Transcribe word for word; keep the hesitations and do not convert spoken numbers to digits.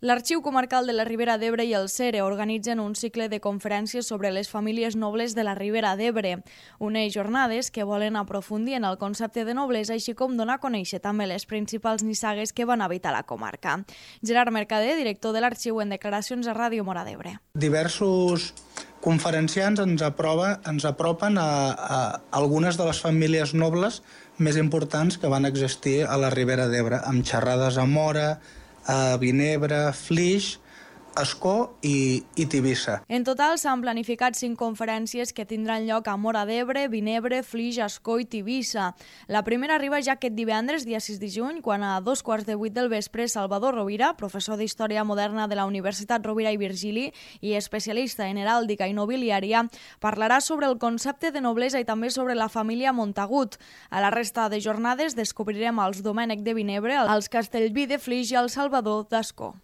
L'Arxiu Comarcal de la Ribera d'Ebre i el CERE organitzen un cicle de conferències sobre les famílies nobles de la Ribera d'Ebre, unes jornades que volen aprofundir en el concepte de noblesa, així com donar a conèixer també les principals nissagues que van habitar la comarca. Gerard Mercader, director de l'Arxiu, en declaracions a Ràdio Móra d'Ebre. Diversos conferenciants ens, aprova, ens apropen a, a algunes de les famílies nobles més importants que van existir a la Ribera d'Ebre, amb xerrades a Móra, a Vinebre, Flix, Ascó i, i Tivissa. En total s'han planificat cinc conferències que tindran lloc a Móra d'Ebre, Vinebre, Flix, Ascó i Tivissa. La primera arriba ja aquest divendres, dia sis de juny, quan a dos quarts de vuit del vespre Salvador Rovira, professor d'Història Moderna de la Universitat Rovira i Virgili i especialista en heràldica i nobiliària, parlarà sobre el concepte de noblesa i també sobre la família Montagut. A la resta de jornades descobrirem els Domènec de Vinebre, els Castellví de Flix i el Salvador d'Ascó.